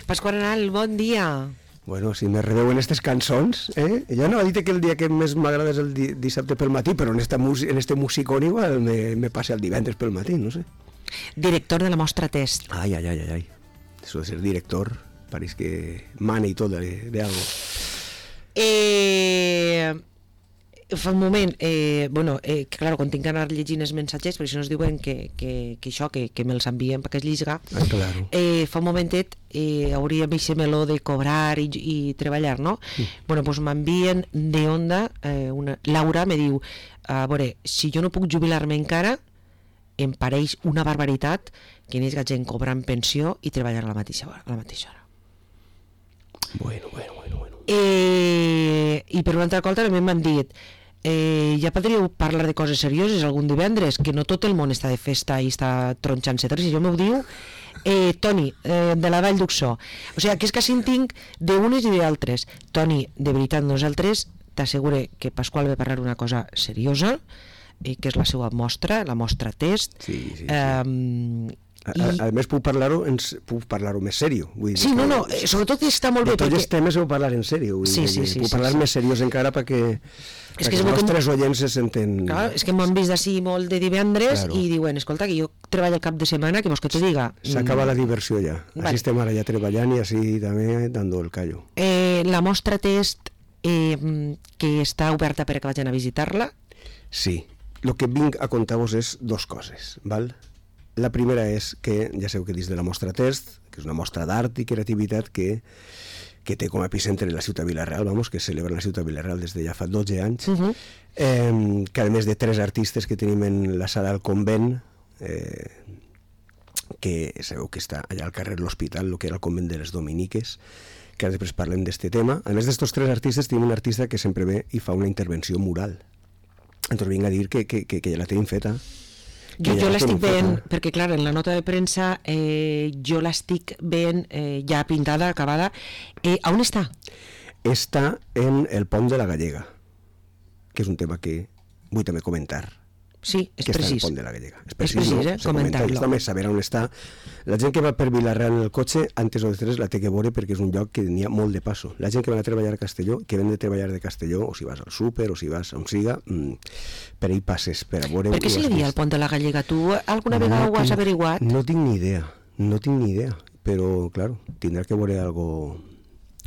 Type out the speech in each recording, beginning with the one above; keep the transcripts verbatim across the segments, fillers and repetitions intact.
Pasqual Arenal, bon dia. Bueno, si me reveuen aquestes cançons, eh? Jo no he dit que el dia que més m'agrada és el di dissabte pel matí, però en, esta en este musicón igual me, me passa el divendres pel matí, no sé. Director de la Mostra Test. Ay, ay, ay, ay, ay. Eso de ser director, parece que mane y todo de, de algo. Eh... Fa un moment, eh, bueno, eh, que claro, quan tinc que anar llegint els mensatges, perquè si no es diuen que, que, que això, que, que me'ls envien perquè es llisga, ah, claro. eh, fa un momentet eh, hauríem aquest meló de cobrar i, i treballar, no? Mm. Bueno, doncs m'envien de Onda, eh, una, Laura me diu, a veure, si jo no puc jubilar-me encara, em pareix una barbaritat que n'hi hagi gent cobrant pensió i treballar a la mateixa hora. A la mateixa hora. Bueno, bueno, bueno, bueno. Eh, I per una altra cosa també m'han dit, Eh, ja podríeu parlar de coses serioses algun divendres, que no tot el món està de festa i està tronxant-se. Si jo m'ho diu eh, Toni, eh, de la Vall d'Uxó, o sigui, que és que així en tinc d'unes i d'altres. Toni, de veritat, nosaltres t'assegure que Pasqual va parlar una cosa seriosa, eh, que és la seva mostra, la mostra test. Sí, sí, sí. Eh, A, a, a més puc parlar-ho puc parlar-ho més seriós, vull dir, sí, no, no, eh, sobretot està molt bé de tots perquè... els temes heu parlar en sèrio, vull sí, dir, sí, sí, puc sí, parlar sí. més seriós encara perquè, és perquè que els nostres que... oients se senten... Clar, és que m'han vist d'ací molt de divendres, claro. I diuen, escolta, que jo treballo el cap de setmana, que vols que te diga? S'acaba la diversió ja, vale. Així estem ara ja treballant i així també dando el callo. Eh, la mostra test eh, que està oberta per que vagin a visitar-la? Sí, el que vinc a contar-vos és dos coses, val? La primera és que, ja sabeu que dins de la mostra test, que és una mostra d'art i creativitat que, que té com a epicentre la ciutat Vila-real, vamos, que celebra la ciutat Vila-real des de ja fa dotze anys, uh -huh. eh, que a més de tres artistes que tenim en la sala del convent, eh, que sabeu que està allà al carrer l'Hospital, el que era el convent de les Dominiques, que després parlem d'este tema. A més d'estos tres artistes tenim un artista que sempre ve i fa una intervenció mural. Entonces vinc a dir que, que, que, que ja la tenim feta. Jo, jo l'estic veient, perquè clar, en la nota de premsa eh, jo l'estic veient eh, ja pintada, acabada. Eh, on està? Està en el Pont de la Gallega, que és un tema que vull també comentar. Sí, és que precís. Està en el Pont de la Gallega. És precís, és precís eh? Comentar-lo. També saber on està. La gent que va per Vila-real en el cotxe, antes o després la té que veure perquè és un lloc que n'hi ha molt de passo. La gent que va a treballar a Castelló, que ven de treballar de Castelló, o si vas al súper, o si vas on siga, mmm, per ahí passes, per a veure... Per què se li dia el Pont de la Gallega? Tu alguna no vegada ho has averiguat? No tinc ni idea, no tinc ni idea, però, claro, tindrà que veure algo...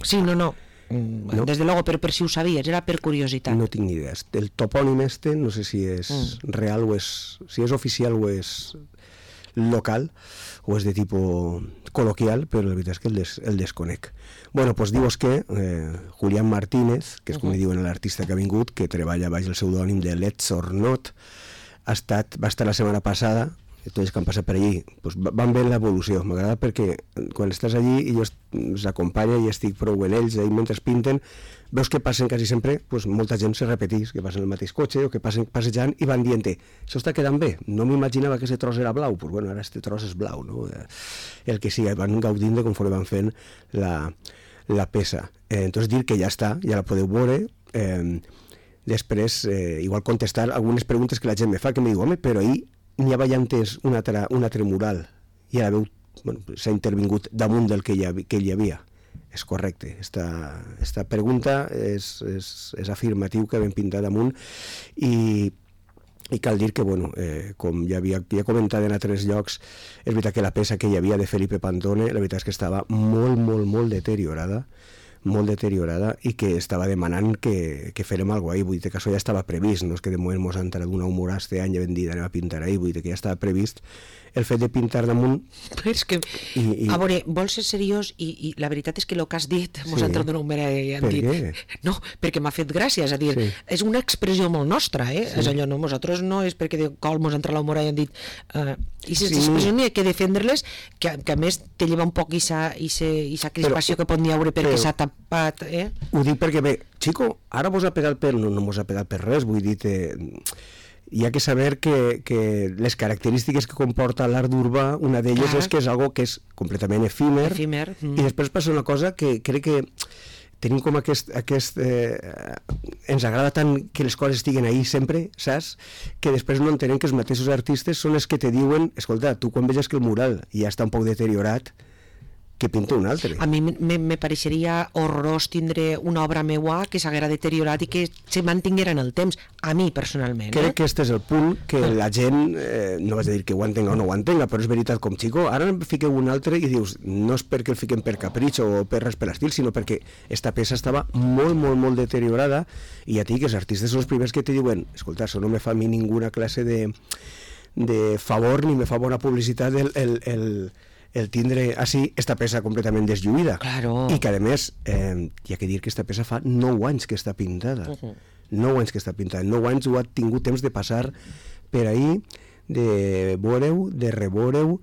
Sí, no, no. No. Desde luego, pero, pero si ho sabies, era per curiositat. No tinc ni idea. El topònim este, no sé si és mm. real o és... Si és oficial o és local, o és de tipus col·loquial, però la veritat és que el, des, el desconec. Bueno, doncs dius que eh, Julián Martínez, que és com uh -huh. diuen l'artista que ha vingut, que treballa baix el pseudònim de Let's or Not, ha estat, va estar la setmana passada, tots que han passat per allí, doncs van veure l'evolució. M'agrada perquè quan estàs allí i jo els acompanya i estic prou en ells, i mentre pinten, veus que passen quasi sempre, doncs molta gent se repetís, que passen el mateix cotxe o que passen passejant i van dient, això està quedant bé, no m'imaginava que aquest tros era blau, doncs bueno, ara aquest tros és blau, no? El que sigui, van gaudint de conforme van fent la, la peça. Eh, entonces dir que ja està, ja la podeu veure, eh, després eh, igual contestar algunes preguntes que la gent me fa, que me diu, home, però ahir n'hi havia antes un altre, un altre mural i ara veu, bueno, s'ha intervingut damunt del que hi havia, que hi havia. És correcte, esta, esta pregunta és, és, és afirmatiu que vam pintar damunt i, i cal dir que, bueno, eh, com ja havia ja comentat en altres llocs, és veritat que la peça que hi havia de Felipe Pantone, la veritat és que estava molt, molt, molt deteriorada, molt deteriorada i que estava demanant que, que fèrem alguna cosa ahí, vull dir que això ja estava previst, no és que de moment mos han tret una humorà este any i hem dit anem a pintar ahí, vull dir que ja estava previst el fet de pintar damunt. Però és que, i, i... a veure, vols ser seriós i, i la veritat és que el que has dit mos sí. han tret una humorà i han per dit què? No, perquè m'ha fet gràcia, és a dir, sí. és una expressió molt nostra, eh? Sí. És allò, no, nosaltres no és perquè de col mos han tret la humorà i han dit uh, i aquestes sí. expressions n'hi ha que defendre-les, que, que a més te lleva un poc i sa crispació que pot n'hi haure perquè s'ha tapat, eh? Ho dic perquè bé, xico, ara vos ha pegat per, no, no mos ha pegat per res, vull dir, te, hi ha que saber que, que les característiques que comporta l'art urbà, una d'elles és que és algo que és completament efímer, efímer. Mm. I després passa una cosa que crec que tenim com aquest, aquest eh, ens agrada tant que les coses estiguen ahí sempre, saps? Que després no entenem que els mateixos artistes són els que te diuen, escolta, tu quan veges que el mural ja està un poc deteriorat, que pinta un altre. A mi me, me pareixeria horrorós tindre una obra meua que s'haguera deteriorat i que se mantinguera en el temps, a mi personalment. Crec eh? que este és el punt que la gent, eh, no vaig a dir que ho entenga o no ho entenga, però és veritat com xico, ara en fiqueu un altre i dius, no és perquè el fiquem per capritx o per res per l'estil, sinó perquè esta peça estava molt, molt, molt deteriorada i ja t'hi que els artistes són els primers que te diuen, escolta, això no me fa a mi ninguna classe de, de favor ni me fa bona publicitat el, el, el, el tindre així esta peça completament deslluïda. Claro. I que a més eh, hi ha que dir que esta peça fa nou anys que està pintada. Uh-huh. nou anys que està pintada. nou anys ho ha tingut temps de passar per ahí, de veure-ho, de reveure-ho,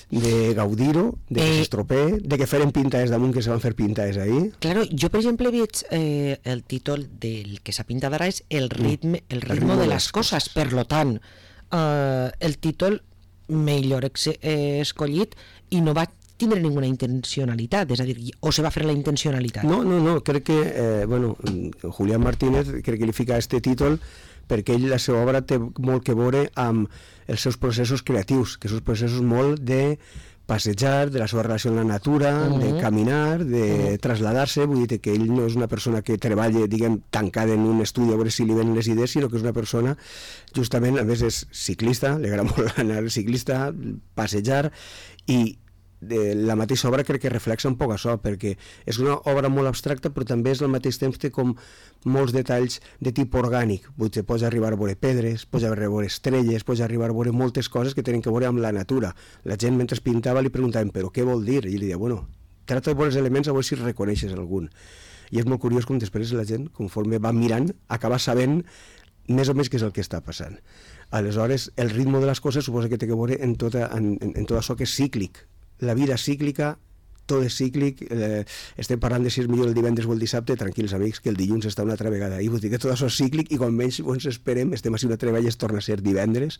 de gaudir-ho, de que eh, s'estropee, de que feren pintades damunt que se van fer pintades ahí. Claro, jo per exemple veig eh, el títol del que s'ha pintat ara és el ritme, el ritme, el ritme de les coses, coses. Per lo tant eh, el títol millor ex eh, escollit i no va tindre ninguna intencionalitat, és a dir, o se va fer la intencionalitat. No, no, no, crec que eh, bueno, Julián Martínez crec que li fica este títol perquè ell, la seva obra té molt que veure amb els seus processos creatius, que són processos molt de passejar, de la seva relació amb la natura, uh -huh. de caminar, de uh -huh. traslladar-se, vull dir que ell no és una persona que treballa, diguem, tancada en un estudi a veure si li venen les idees, sinó que és una persona, justament, a més és ciclista, li agrada molt anar ciclista, passejar, i de la mateixa obra crec que reflexa un poc això, perquè és una obra molt abstracta però també és al mateix temps té com molts detalls de tipus orgànic, vull dir, pots arribar a veure pedres, pots arribar a veure estrelles, pots arribar a veure moltes coses que tenen que veure amb la natura. La gent mentre pintava li preguntaven però què vol dir? I ell li deia, bueno, trata de veure els elements a veure si reconeixes algun. I és molt curiós com després la gent, conforme va mirant, acaba sabent més o menys què és el que està passant. Aleshores, el ritme de les coses suposa que té que veure en, tota, en, en, en tot això que és cíclic. La vida cíclica, tot és cíclic, eh, estem parlant de si és millor el divendres o el dissabte, tranquils amics, que el dilluns està una altra vegada, i vull dir que tot això és cíclic i quan menys ens esperem, estem així una altra vegada i es torna a ser divendres.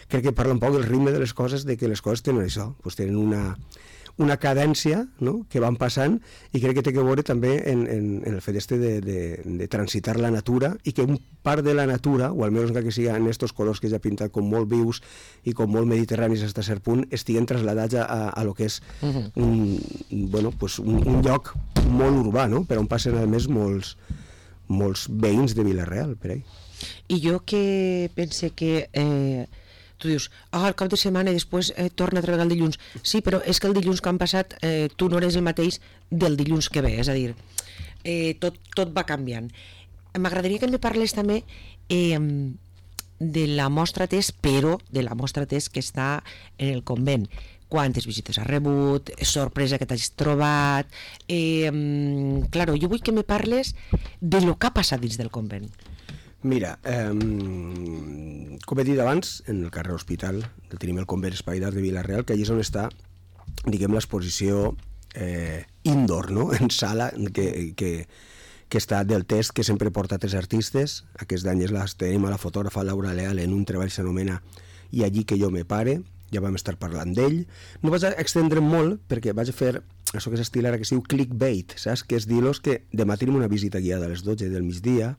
Crec que parla un poc del ritme de les coses, de que les coses tenen això, doncs tenen una, una cadència, no?, que van passant, i crec que té que veure també en, en, en el fet este de, de, de transitar la natura, i que un part de la natura, o almenys que sigui en estos colors que ja ha pintat com molt vius i com molt mediterranis fins a cert punt, estiguen traslladats a, a, a lo que és uh-huh. un, bueno, pues un, un lloc molt urbà, no?, per on passen a més molts, molts veïns de Vila-real, per ahí. I jo que pense que... Eh... tu dius, ah, el cap de setmana i després eh, torna a treballar el dilluns. Sí, però és que el dilluns que han passat eh, tu no eres el mateix del dilluns que ve, és a dir, eh, tot, tot va canviant. M'agradaria que em parles també eh, de la mostra test, però de la mostra test que està en el convent. Quantes visites has rebut, sorpresa que t'has trobat... Eh, claro, jo vull que me parles de lo que ha passat dins del convent. Mira, eh, com he dit abans, en el carrer Hospital tenim el convent Espai d'Art de Vila-real, que allí és on està, diguem, l'exposició eh, indoor, no?, en sala, que, que, que està del test, que sempre porta tres artistes. Aquest any la tenim a la fotògrafa Laura Leal en un treball que s'anomena I allí que jo me pare, ja vam estar parlant d'ell. No vaig a extendre molt, perquè vaig a fer això que s'estila ara, que es diu clickbait, saps? Que és dir-los que demà tenim una visita guiada a les dotze del migdia.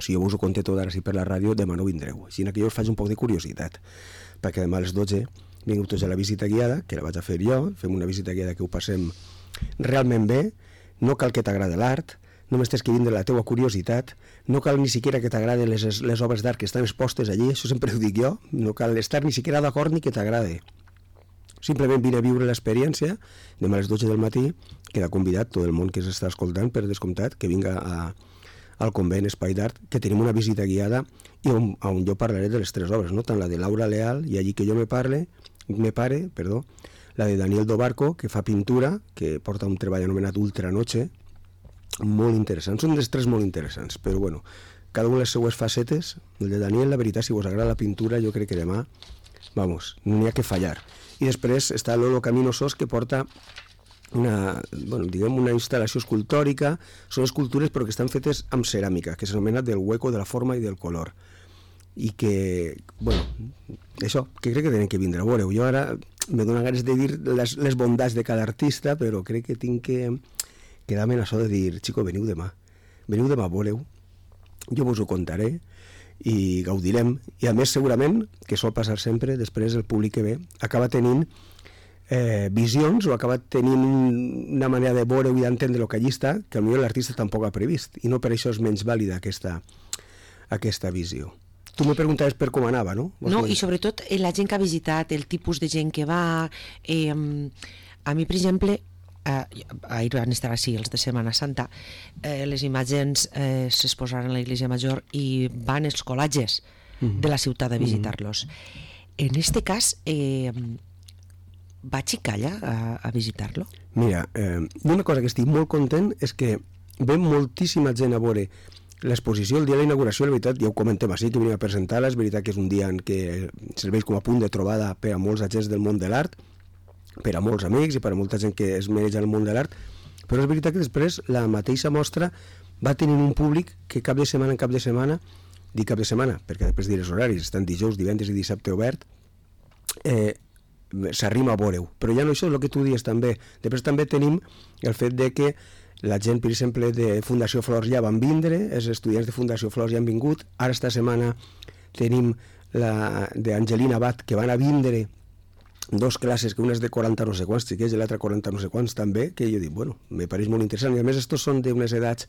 Si jo us ho conté tot ara sí per la ràdio, demà no vindreu. Així que jo us faig un poc de curiositat, perquè demà a les dotze vingueu tots a la visita guiada, que la vaig a fer jo, fem una visita guiada que ho passem realment bé, no cal que t'agrada l'art, només tens que vindre la teua curiositat, no cal ni siquiera que t'agraden les, les obres d'art que estan expostes allí, això sempre ho dic jo, no cal estar ni siquiera d'acord ni que t'agrade. Simplement vine a viure l'experiència, demà a les dotze del matí, queda convidat tot el món que s'està escoltant, per descomptat, que vinga a al convent Espai d'Art, que tenim una visita guiada i on, on jo parlaré de les tres obres, no? Tant la de Laura Leal, I allí que jo me parle, me pare, perdó, la de Daniel Dobarco, que fa pintura, que porta un treball anomenat Ultranoche, molt interessant, són dels tres molt interessants, però bueno, cada una de les seues facetes. El de Daniel, la veritat, si vos agrada la pintura, jo crec que demà, vamos, no n'hi ha que fallar. I després està Lolo Camino Sos, que porta una, bueno, diguem una instal·lació escultòrica. Són escultures però que estan fetes amb ceràmica, que s'anomena del hueco, de la forma i del color, i que, bueno, això, que crec que tenen que vindre a veure. Jo ara me dono ganes de dir les, les bondats de cada artista, però crec que tinc que quedar-me en això de dir, xico, veniu demà veniu demà, veureu, jo vos ho contaré i gaudirem. I a més segurament, que sol passar sempre, després el públic que ve acaba tenint eh, visions o ha acabat tenint una manera de veure i d'entendre el que allí està que potser l'artista tampoc ha previst, i no per això és menys vàlida aquesta, aquesta visió. Tu me preguntaves per com anava, no? No, i sobretot eh, la gent que ha visitat, el tipus de gent que va... Eh, a mi, per exemple, eh, ahir van estar així els de Setmana Santa, eh, les imatges eh, s'exposaran a l'Església Major i van els col·latges mm. de la ciutat a visitar-los. Mm. En este cas, eh, vaig i calla a, a visitar-lo? Mira, eh, una cosa que estic molt content és que ve moltíssima gent a veure l'exposició el dia de la inauguració. La veritat, ja ho comentem així, que venim a presentar-la, és veritat que és un dia en què serveix com a punt de trobada per a molts agents del món de l'art, per a molts amics i per a molta gent que es mereix el món de l'art, però és veritat que després la mateixa mostra va tenir un públic que cap de setmana en cap de setmana, dic cap de setmana, perquè després diré els horaris, estan dijous, divendres i dissabte obert, eh, s'arrima a veure-ho. Però ja no això és el que tu dius també. Després també tenim el fet de que la gent, per exemple, de Fundació Flors ja van vindre, els estudiants de Fundació Flors ja han vingut, ara esta setmana tenim la d'Angelina Abad, que van a vindre dos classes, que una és de quaranta no sé quants xiquets i l'altra quaranta no sé quants també, que jo dic, bueno, me pareix molt interessant, i a més estos són d'unes edats,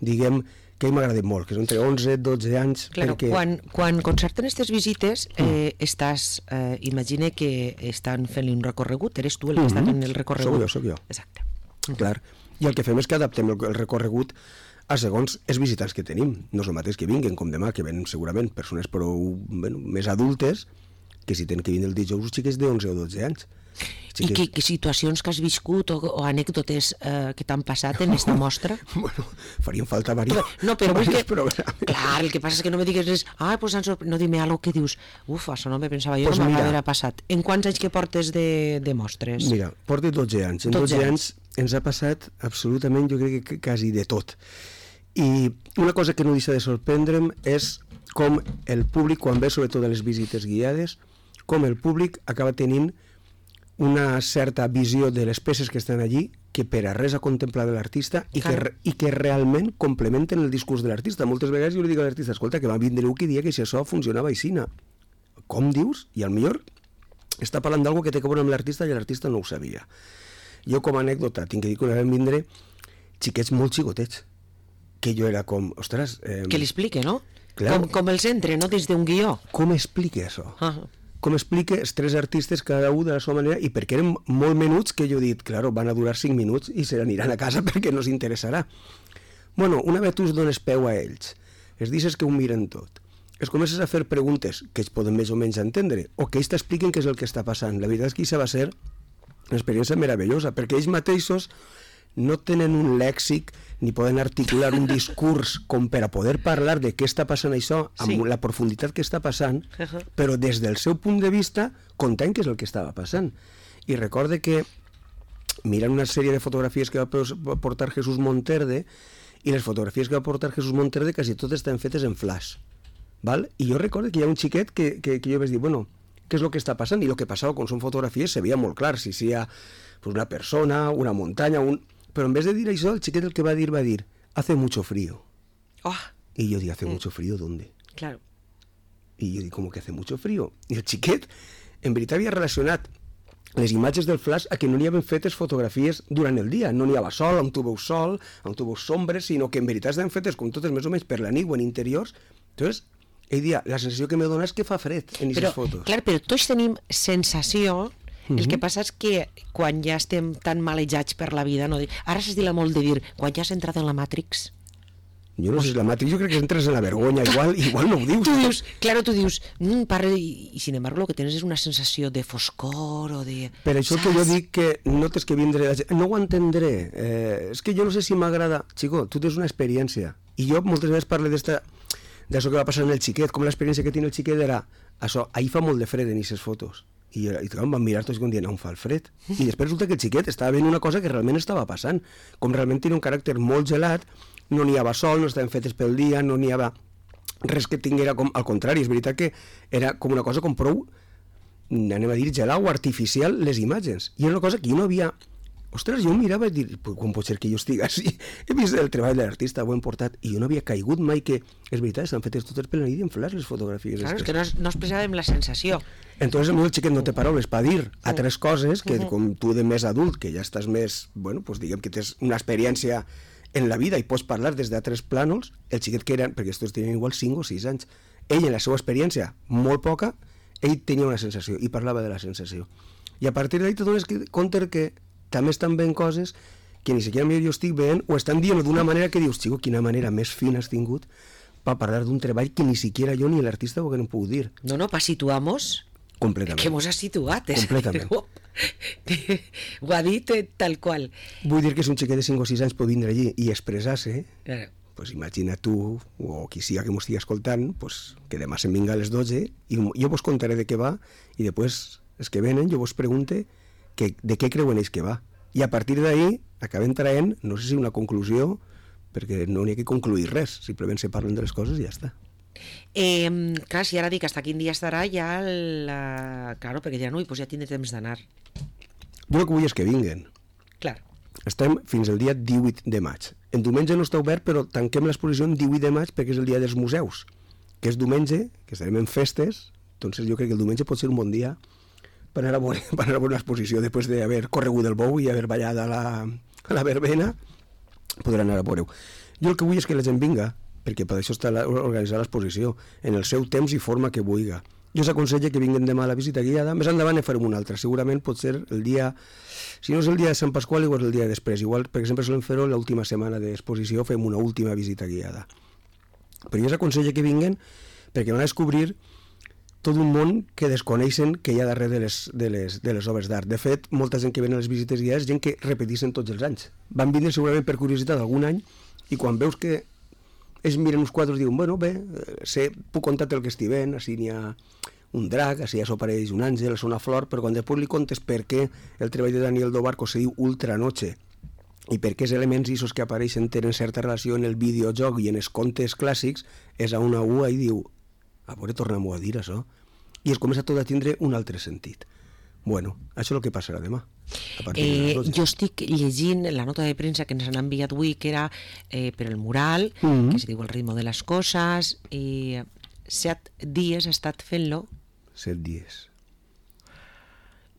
diguem, que m'agraden molt, que són entre onze i dotze anys. Claro, perquè... quan, quan concerten aquestes visites, eh, estàs, eh, imagina que estan fent-li un recorregut, eres tu el que mm-hmm. està fent el recorregut. Soc jo, soc jo. Exacte. Clar. I el que fem és que adaptem el, el recorregut a segons els visitants que tenim. No és el mateix que vinguen com demà, que venen segurament persones prou, bueno, més adultes, que si tenen que vindre el dijous els xiquets d'onze o dotze anys. I que, que situacions que has viscut o, o anècdotes eh, que t'han passat en aquesta mostra? Bueno, farien falta varios, no, però varios que, programes. Clar, el que passa és que no me digues res, ah, pues no dime algo que dius, uf, això no me pensava jo, pues no m'haver passat. En quants anys que portes de, de mostres? Mira, porto dotze anys. En dotze anys ens ha passat absolutament, jo crec que quasi de tot. I una cosa que no deixa de sorprendre'm és com el públic, quan ve sobretot a les visites guiades, com el públic acaba tenint una certa visió de les peces que estan allí que per a res a contemplar de l'artista i, que, i que realment complementen el discurs de l'artista. Moltes vegades jo li dic a l'artista, escolta, que va vindre un que dia que si això funcionava aixina. Com dius? I al millor està parlant d'algo que té que veure amb l'artista i l'artista no ho sabia. Jo com a anècdota tinc que dir que una vam vindre xiquets molt xicotets, que jo era com, ostres... Eh, que li explique, no? Clar, com, com els entre, no? Des d'un guió. Com explica això? Ah. Com explica els tres artistes cada un de la seva manera, i perquè eren molt menuts que jo he dit, claro, van a durar cinc minuts i se n'aniran a casa perquè no s'interessarà. Bueno, una vegada tu es dones peu a ells, els dices que ho miren tot, es comences a fer preguntes que ells poden més o menys entendre, o que ells t'expliquen què és el que està passant. La veritat és que això va ser una experiència meravellosa, perquè ells mateixos no tenen un lèxic ni poden articular un discurs com per a poder parlar de què està passant això amb sí. la profunditat que està passant, uh-huh. però des del seu punt de vista contant què és el que estava passant. I recorde que mirant una sèrie de fotografies que va portar Jesús Monterde, i les fotografies que va portar Jesús Monterde quasi totes estan fetes en flash, val? I jo recordo que hi ha un xiquet que, que, que jo vaig dir, bueno, què és el que està passant? I el que passava quan són fotografies se veia molt clar, si hi ha pues, una persona, una muntanya, un... Però en vez de dir això, el xiquet el que va dir va dir, hace mucho frío. Oh. Y yo digo, ¿hace mm. mucho frío dónde? Claro. Y yo digo, ¿cómo que hace mucho frío? I el xiquet, en veritat, havia relacionat les imatges del flash a que no n'hi havien fetes fotografies durant el dia. No n'hi havia sol, on tu veus sol, on tu veus sombres, sinó que en veritat estaven fetes com totes més o menys per la nit o en interiors. Entonces, ell dia, la sensació que me dona és que fa fred en aquestes fotos. Clar, però tots tenim sensació. El que passa és que quan ja estem tan malejats per la vida, no? Ara s'estila molt de dir, quan ja has entrat en la Matrix... Jo no sé si és la Matrix, jo crec que entres en la vergonya, igual, igual no ho dius. Tu dius, claro, tu dius, mm, parla, i, i sin embargo lo que tens és una sensació de foscor o de... Per això saps? Que jo dic que no tens que vindre... La gent. No ho entendré, eh, és que jo no sé si m'agrada... Chico, tu tens una experiència, i jo moltes vegades parlo d'esta... d'això que va passar en el xiquet, com l'experiència que té el xiquet era... Això, ahir fa molt de fred en aquestes fotos. I, i em van mirar tots com dient, on fa el fred? I després resulta que el xiquet estava veient una cosa que realment estava passant, com realment tenia un caràcter molt gelat, no n'hi havia sol, no estaven fetes pel dia, no n'hi havia res que tinguera com... Al contrari, és veritat que era com una cosa com prou, anem a dir, gelau, artificial, les imatges. I era una cosa que jo no havia ostres, jo mirava i dir, com pot ser que jo estigui així? He vist el treball de l'artista, ho hem portat, i jo no havia caigut mai que, és veritat, estan fetes totes per la nit en flash, les fotografies. Claro, és que no, no expressàvem la sensació. Entonces, el xiquet no té paraules per dir altres coses que, com tu de més adult, que ja estàs més, bueno, pues diguem que tens una experiència en la vida i pots parlar des d'altres plànols, el xiquet que eren, perquè estos tenien igual cinc o sis anys, ell en la seva experiència, molt poca, ell tenia una sensació i parlava de la sensació. I a partir d'ahí te dones compte que també estan veient coses que ni siquiera jo estic veient o estan dient d'una manera que dius, xico, quina manera més fina has tingut per parlar d'un treball que ni siquiera jo ni l'artista ho haguem pogut dir. No, no, per situar-nos. Completament. Que mos ha situat. És Completament. Ho ha dit tal qual. Vull dir que si un xiquet de cinc o sis anys pot vindre allí i expressar-se, Claro. pues imagina tu, o qui siga que m'ho estigui escoltant, pues que demà se'n vinga a les dotze i jo vos contaré de què va i després els que venen jo vos pregunte que, de què creuen ells que va. I a partir d'ahí acabem traient, no sé si una conclusió, perquè no n'hi ha que concluir res, simplement se parlen de les coses i ja està. Eh, clar, si ara dic hasta quin dia estarà, ja la... Claro, perquè ja no, i pues ja tindré temps d'anar. Jo el que vull és que vinguen. Clar. Estem fins al dia divuit de maig. En diumenge no està obert, però tanquem l'exposició en divuit de maig perquè és el dia dels museus, que és diumenge, que estarem en festes, doncs jo crec que el diumenge pot ser un bon dia per anar a veure, per anar a veure una exposició després d'haver corregut el bou i haver ballat a la, a la verbena, podrà anar a veure-ho. Jo el que vull és que la gent vinga, perquè per això està la, organitzar l'exposició, en el seu temps i forma que vulgui. Jo s'aconsella que vinguen demà a la visita guiada, més endavant ne farem una altra, segurament pot ser el dia, si no és el dia de Sant Pasqual, igual el dia després, igual, per exemple, solem fer-ho l'última setmana d'exposició, fem una última visita guiada. Però jo s'aconsella que vinguen perquè van a descobrir tot un món que desconeixen que hi ha darrere de les, de les, de les obres d'art. De fet, molta gent que ven a les visites guiades és gent que repeteixen tots els anys. Van vindre segurament per curiositat algun any i quan veus que ells miren uns quadres i diuen, bueno, bé, sé, puc contar el que estic veient, així n'hi ha un drac, així ja s'apareix un àngel, és una flor, però quan després li contes per què el treball de Daniel Dobarco se diu Ultranoche i per què els elements issos que apareixen tenen certa relació en el videojoc i en els contes clàssics, és a una ua i diu, a veure, tornem-ho a dir, això. I es comença tot a tindre un altre sentit. Bueno, això és el que passarà demà. Eh, jo estic llegint la nota de premsa que ens han enviat avui, que era eh, per el mural, Mm-hmm. que es diu El ritmo de les coses, i set dies ha estat fent-lo. Set dies.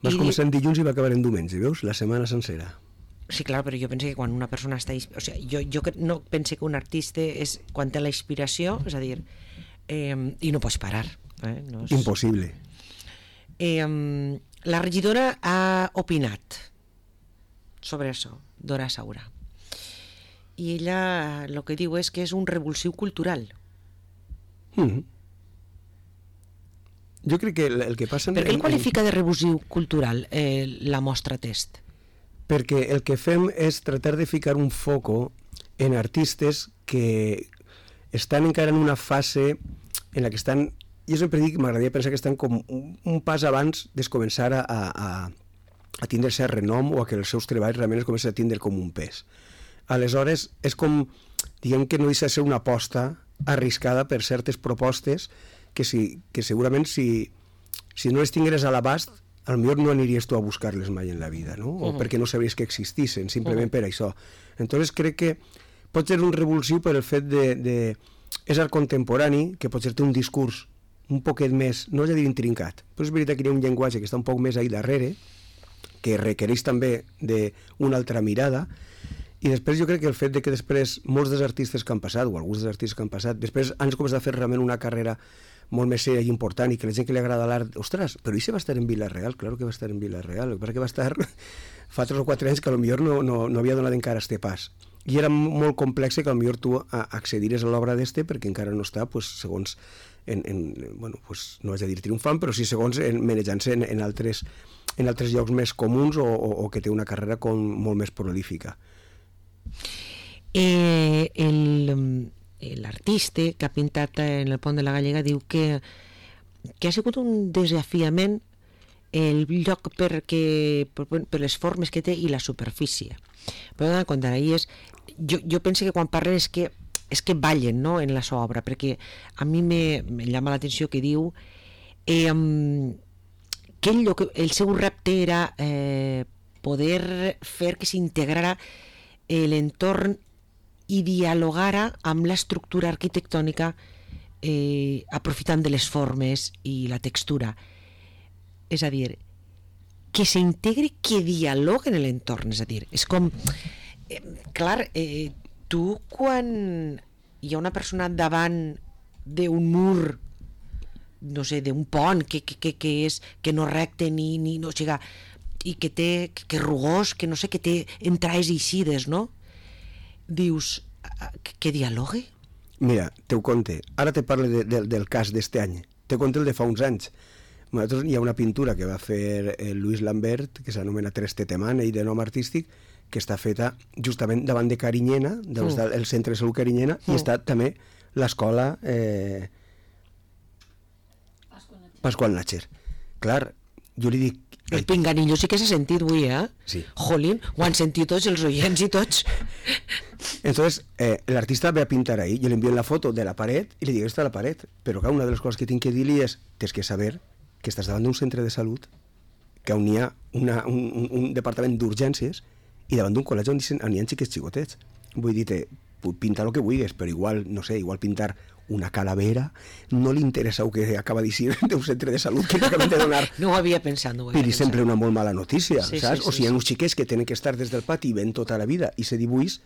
Vas I- començar en dilluns i va acabar en diumenge, veus? La setmana sencera. Sí, clar, però jo penso que quan una persona està... ins- O sigui, jo, jo que- no penso que un artista és quan té la inspiració, és a dir, eh, i no pots parar. Eh? No és... Impossible. Eh, la regidora ha opinat sobre això, Dora Saura. I ella el que diu és que és un revulsiu cultural. Mm. Jo crec que el, el que passa... Per què el qualifica de revulsiu cultural eh, la mostra test? Perquè el que fem és tratar de ficar un foco en artistes que estan encara en una fase en la que estan... Jo sempre dic, m'agradaria pensar que estan com un, un pas abans de començar a, a, a tindre cert renom o a que els seus treballs realment es comencen a tindre com un pes. Aleshores, és com, diguem que no deixa de ser una aposta arriscada per certes propostes que, si, que segurament si, si no les tingueres a l'abast, potser no aniries tu a buscar-les mai en la vida, no? O uh-huh. perquè no sabries que existissin, simplement uh-huh. per això. Entonces crec que pot ser un revulsiu per el fet de... de és art contemporani, que potser té un discurs un poquet més, no és a dir intrincat, però és veritat que hi ha un llenguatge que està un poc més ahí darrere, que requereix també d'una altra mirada, i després jo crec que el fet de que després molts dels artistes que han passat, o alguns dels artistes que han passat, després han començat a fer realment una carrera molt més serià i important, i que la gent que li agrada l'art, ostres, però i se va estar en Vila-real? Claro que va estar en Vila-real, perquè va estar fa tres o quatre anys que potser no, no, no havia donat encara este pas. I era molt complex que potser tu accediries a l'obra d'este perquè encara no està, pues, segons, en, en, bueno, pues, no vaig a dir triomfant, però sí segons en, manejant-se en, en, altres, en altres llocs més comuns o, o, o que té una carrera com molt més prolífica. Eh, el... l'artista que ha pintat en el Pont de la Gallega diu que, que ha sigut un desafiament el lloc perquè, per, per les formes que té i la superfície. Però donar compte, és, jo, jo penso que quan parlen és que, és que ballen, no?, en la seva obra, perquè a mi me, me llama l'atenció que diu eh, que ell, el seu repte era eh, poder fer que s'integrara l'entorn i dialogara amb l'estructura arquitectònica eh, aprofitant de les formes i la textura. És a dir, que s'integri, que dialogue en l'entorn, és a dir, és com... Eh, clar, eh, tu quan hi ha una persona davant d'un mur, no sé, d'un pont que, que, que, que, és, que no recte ni, ni no llega, i que té, que, que rugós, que no sé, que té entrades i eixides, no? Dius, que, que dialogue? Mira, teu conte, ara te parlo de, de, del cas d'este any, te conte el de fa uns anys. Nosaltres, hi ha una pintura que va fer el Luis Lambert, que s'anomena Tres Tetemane i de nom artístic, que està feta justament davant de Carinyena, del mm. el centre de salut Carinyena, mm. i està també l'escola eh, Pasqual Natxer. Clar, jo li dic... El pinganillo sí que s'ha sentit avui, eh? Sí. Jolín, ho han sentit tots, els oients i tots. Entonces, eh, l'artista ve a pintar ahí, jo li envio la foto de la paret i li dic, està la paret, però clar, una de les coses que tinc que dir-li és, tens que saber que estàs davant d'un centre de salut, que on hi ha una, un, un, un departament d'urgències i davant d'un col·legi on hi ha xiquets xicotets. Vull dir-te, pintar el que vulguis, però igual, no sé, igual pintar una calavera, no li interessa el que acaba de dir d'un centre de salut que t'acaben de donar. No ho havia pensat, no ho havia Però pensat. sempre una molt mala notícia, sí, saps? Sí, sí, o sigui, hi ha sí. uns xiquets que tenen que estar des del pati i ven tota la vida, i se dibuix,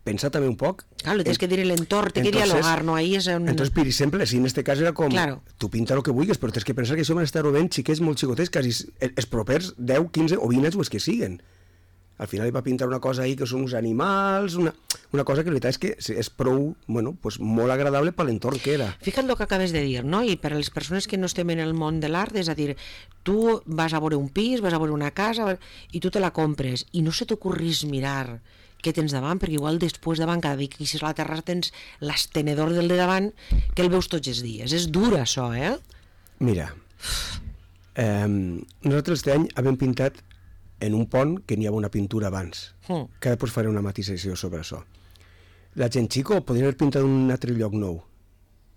pensa també un poc... Claro, tens que dir l'entorn, té que dialogar, no? Ahí és on... Entonces, per exemple, si en este cas era com... Claro. Tu pinta el que vulguis, però tens que pensar que això van estar rovent xiquets molt xicotets, quasi els propers deu, quinze o vint anys o els que siguen. Al final hi va pintar una cosa ahí que són uns animals, una, una cosa que la veritat és que és prou, bueno, pues molt agradable per l'entorn que era. Fija't el que acabes de dir, no? I per a les persones que no estem en el món de l'art, és a dir, tu vas a veure un pis, vas a veure una casa i tu te la compres i no se t'ocorrís mirar què tens davant, perquè igual després davant, cada dia que queixes a la terrassa tens l'estenedor del de davant que el veus tots els dies. És dur això, eh? Mira, eh, nosaltres este any hem pintat en un pont que n'hi havia una pintura abans, mm. que després faré una matisació sobre això. La gent xico podria haver pintat un altre lloc nou,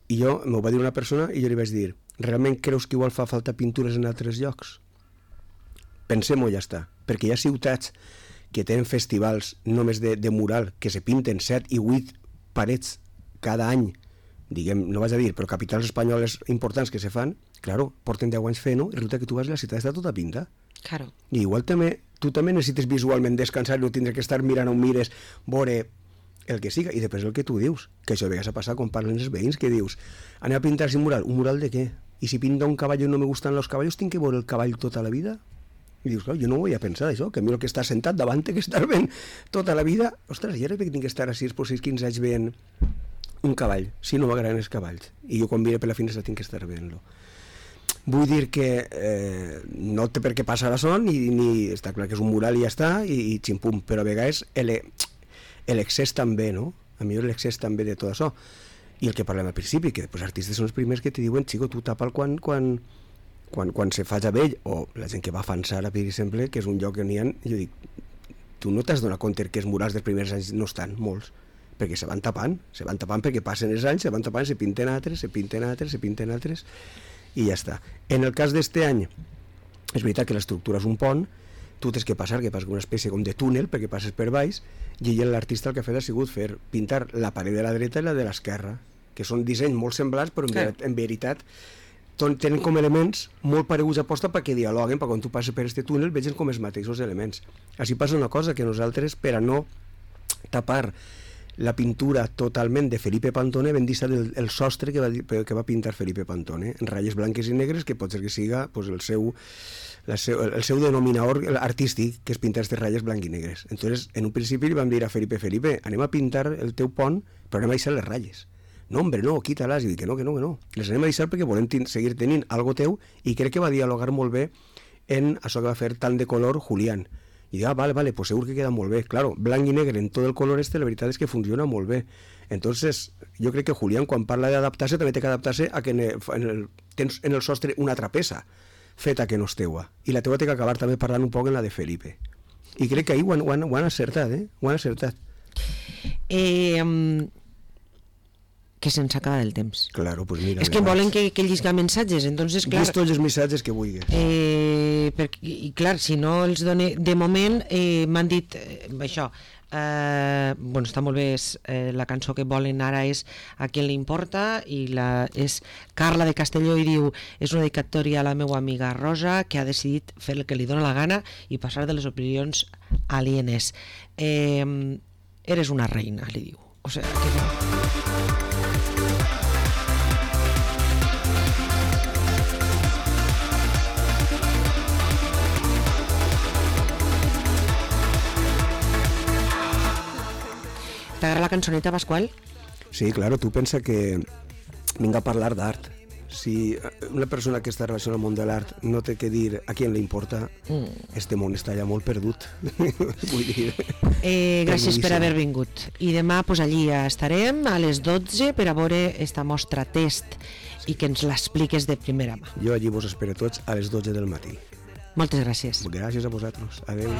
i jo, m'ho va dir una persona i jo li vaig dir, realment creus que igual fa falta pintures en altres llocs? Pensem-ho, ja està, perquè hi ha ciutats que tenen festivals només de, de mural, que se pinten set i vuit parets cada any, diguem, no vaig a dir, però capitals espanyoles importants que se fan, claro, porten deu anys fent-ho, i resulta que tu vas a la ciutat està tota pinta. Claro. I igual també, tu també necessites visualment descansar i no tindre que estar mirant on mires, veure el que siga, i després el que tu dius, que això a vegades ha passat quan parlen els veïns, que dius, anem a pintar-se un mural, un mural de què? I si pinta un cavall i no me gustan els cavallos, tinc que veure el cavall tota la vida? I dius, clar, jo no ho havia pensat, això, que a mi el que està sentat davant que estar ben tota la vida, ostres, jo crec que tinc que estar a sis o sis quinze anys veient un cavall, si no m'agraden els cavalls, i jo quan mire per la finestra tinc que estar veient-lo. Vull dir que eh, no té per què passar a son, ni, ni està clar que és un mural i ja està, i, i ximpum, però a vegades l'excés també, no? A mi l'excés també de tot això. I el que parlem al principi, que després artistes són els primers que te diuen, xico, tu tapa'l quan, quan, quan, quan se faja vell, o la gent que va a Fansara, per exemple, que és un lloc que n'hi ha, jo dic, tu no t'has donat compte que els murals dels primers anys no estan, molts, perquè se van tapant, se van tapant perquè passen els anys, se van tapant, se pinten altres, se pinten altres, se pinten altres, i ja està. En el cas d'este any, és veritat que l'estructura és un pont, tu tens que passar, que passa una espècie com de túnel, perquè passes per baix, i l'artista el que ha fet ha sigut fer pintar la paret de la dreta i la de l'esquerra, que són dissenys molt semblants, però en, sí. ver en veritat tenen com elements molt pareguts a posta perquè dialoguen, perquè quan tu passes per este túnel vegin com els mateixos elements. Així passa una cosa, que nosaltres, per a no tapar la pintura totalment de Felipe Pantone, vam deixar el, el sostre que va, que va pintar Felipe Pantone, en ratlles blanques i negres, que pot ser que siga pues, el, seu, la seu, el seu denominador artístic, que és pintar aquestes ratlles blanques i negres. Entonces, en un principi li vam dir a Felipe, Felipe, anem a pintar el teu pont, però anem a deixar les ratlles. No, hombre, no, quita-les. I dic que no, que no, que no. Les anem a deixar perquè volem seguir tenint algo teu, i crec que va dialogar molt bé en això que va fer tant de color Julián. I dic, ah, vale, vale, pues segur que queda molt bé. Claro, blanc i negre en tot el color este, la veritat és que funciona molt bé. Entonces, jo crec que Julián, quan parla d'adaptar-se, també té que adaptar-se a que en el, en el, tens en el sostre una altra peça feta que no és teua. I la teua té que acabar també parlant un poc en la de Felipe. I crec que ahir ho han, ho han, ho han acertat, eh? Ho han acertat. Eh, que se'ns acaba el temps. Claro, pues mira, és que volen que, que llisca missatges, entonces, clar... Llis tots els missatges que vulguis. Eh, per, I clar, si no els done... De moment eh, m'han dit eh, això, eh, bueno, està molt bé, és, eh, la cançó que volen ara és A qui li importa, i la, és Carla de Castelló, i diu, és una dedicatòria a la meva amiga Rosa, que ha decidit fer el que li dóna la gana i passar de les opinions alienes. Eh, eres una reina, li diu. O sigui, que... T'agrada la cançoneta, Pasqual? Sí, claro, tu pensa que vinc a parlar d'art. Si una persona que està relacionada al món de l'art no té que dir a qui li importa, mm. este món està ja molt perdut. Vull dir... Eh, gràcies per haver vingut. I demà pues, allí estarem a les dotze per a veure esta mostra test i que ens l'expliques de primera mà. Jo allí vos espero tots a les dotze del matí. Moltes gràcies. Gràcies a vosaltres. Adéu.